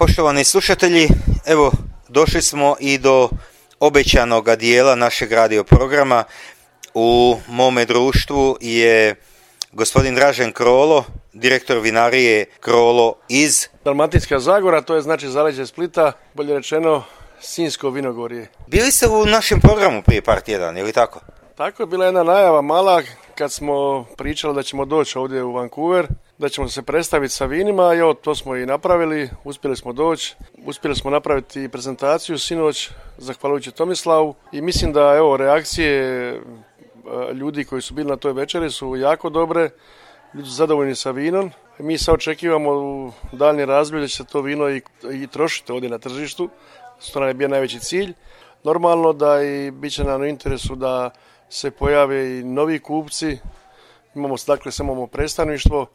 Poštovani slušatelji, evo došli smo i do obećanoga dijela našeg radio programa. U mome društvu je gospodin Dražen Krolo, direktor vinarije Krolo iz Dalmatinska Zagora, to je znači zaleđe Splita, bolje rečeno Sinjsko vinogorje. Bili ste u našem programu prije par tjedana, je li tako? Tako je bila jedna najava mala kad smo pričali da ćemo doći ovdje u Vancouver, da ćemo se predstaviti sa vinima i evo to smo i napravili, uspjeli smo doći, uspjeli smo napraviti prezentaciju sinoć zahvaljujući Tomislavu i mislim da evo reakcije ljudi koji su bili na toj večeri su jako dobre, ljudi su zadovoljni sa vinom. Mi sad očekivamo u daljnjem razdoblju da će se to vino i trošiti ovdje na tržištu, što nam je bio najveći cilj. Normalno da i bit će nam u interesu da se pojave i novi kupci. Imamo predstavništvo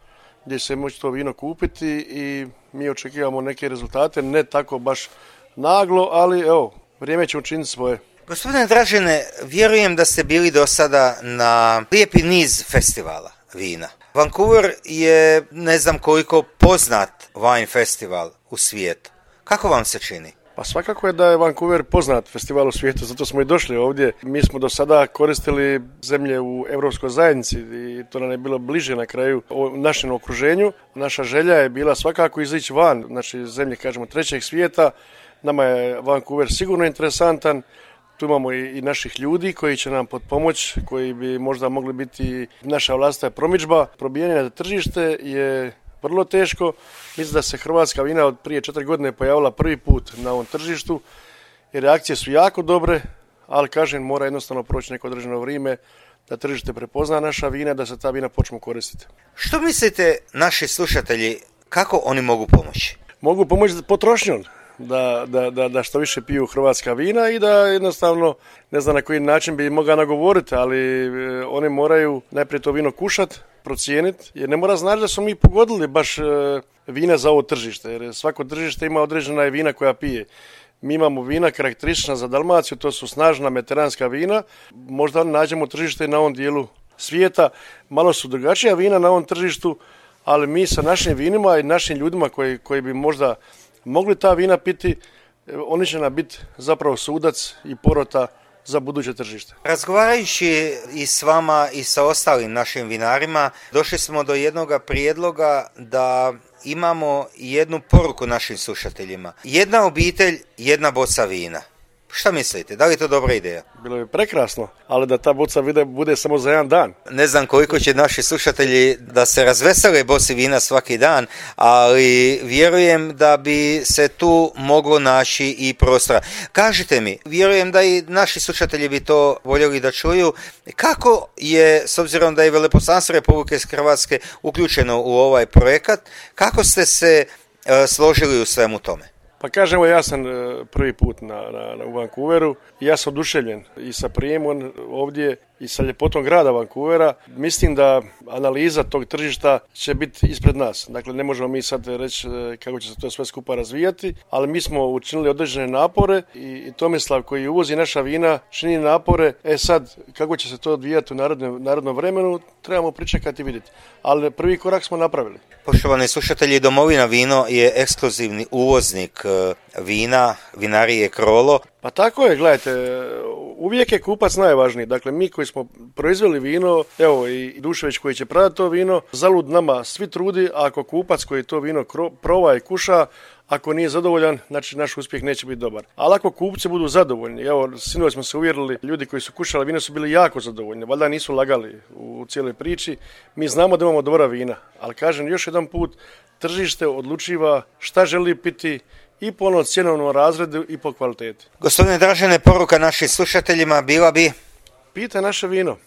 gdje će se moći to vino kupiti i mi očekivamo neke rezultate, ne tako baš naglo, ali evo, vrijeme će učiniti svoje. Gospodine Dražene, vjerujem da ste bili do sada na lijepi niz festivala vina. Vancouver je ne znam koliko poznat wine festival u svijetu. Kako vam se čini? Pa svakako je da je Vancouver poznat festival u svijetu, zato smo i došli ovdje. Mi smo do sada koristili zemlje u Europskoj zajednici i to nam je bilo bliže na kraju u našem okruženju. Naša želja je bila svakako izići van, znači zemlje kažemo trećeg svijeta. Nama je Vancouver sigurno interesantan. Tu imamo i naših ljudi koji će nam potpomoći, koji bi možda mogli biti naša vlastita promidžba. Probijanje na tržište je vrlo teško. Mislim da se hrvatska vina od prije 4 godine pojavila prvi put na ovom tržištu i reakcije su jako dobre, ali kažem mora jednostavno proći neko određeno vrijeme da tržište prepozna naša vina, da se ta vina počnu koristiti. Što mislite naši slušatelji, kako oni mogu pomoći? Mogu pomoći potrošnjom. Da što više piju hrvatska vina i da jednostavno, ne znam na koji način bi mogao nagovoriti, ali oni moraju najprije to vino kušati, procijeniti, jer ne mora znači da smo mi pogodili baš vina za ovo tržište, jer svako tržište ima određena vina koja pije. Mi imamo vina karakteristična za Dalmaciju, to su snažna mediteranska vina, možda nađemo tržište na ovom dijelu svijeta, malo su drugačija vina na ovom tržištu, ali mi sa našim vinima i našim ljudima koji bi možda mogli ta vina piti, oni će nam biti zapravo sudac i porota za buduće tržište. Razgovarajući i s vama i sa ostalim našim vinarima, došli smo do jednog prijedloga da imamo jednu poruku našim slušateljima. Jedna obitelj, jedna boca vina. Šta mislite, da li je to dobra ideja? Bilo bi prekrasno, ali da ta boca vina bude samo za jedan dan. Ne znam koliko će naši slušatelji da se razvesele boci vina svaki dan, ali vjerujem da bi se tu moglo naći i prostora. Kažite mi, vjerujem da i naši slušatelji bi to voljeli da čuju, kako je, s obzirom da je Veleposlanstvo Republike Hrvatske uključeno u ovaj projekat, kako ste se složili u svemu tome? Pa kažemo, ja sam prvi put u Vancouveru i ja sam oduševljen i sa prijemom ovdje i sa ljepotom grada Vancouvera. Mislim da analiza tog tržišta će biti ispred nas. Dakle, ne možemo mi sad reći kako će se to sve skupa razvijati, ali mi smo učinili određene napore i Tomislav koji uvozi naša vina čini napore. Sad, kako će se to odvijati u narodnom vremenu, trebamo pričekati i vidjeti. Ali prvi korak smo napravili. Poštovani slušatelji, Domovina vino je ekskluzivni uvoznik vina, vinarije Krolo. Pa tako je, gledajte, uvijek je kupac najvažniji. Dakle, mi koji smo proizveli vino, evo i Dušević koji će prodati to vino, zalud nama svi trudi, a ako kupac koji to vino proba i kuša, ako nije zadovoljan, znači naš uspjeh neće biti dobar. Ali ako kupci budu zadovoljni, evo, sinoć smo se uvjerili, ljudi koji su kušali vino su bili jako zadovoljni, valjda nisu lagali u cijeloj priči. Mi znamo da imamo dobra vina, ali kažem još jedan put, tržište odlučiva šta želi piti i po onom cjenovnom razredu i po kvaliteti. Gospodine Dražene, poruka našim slušateljima bila bi? Pijte naše vino.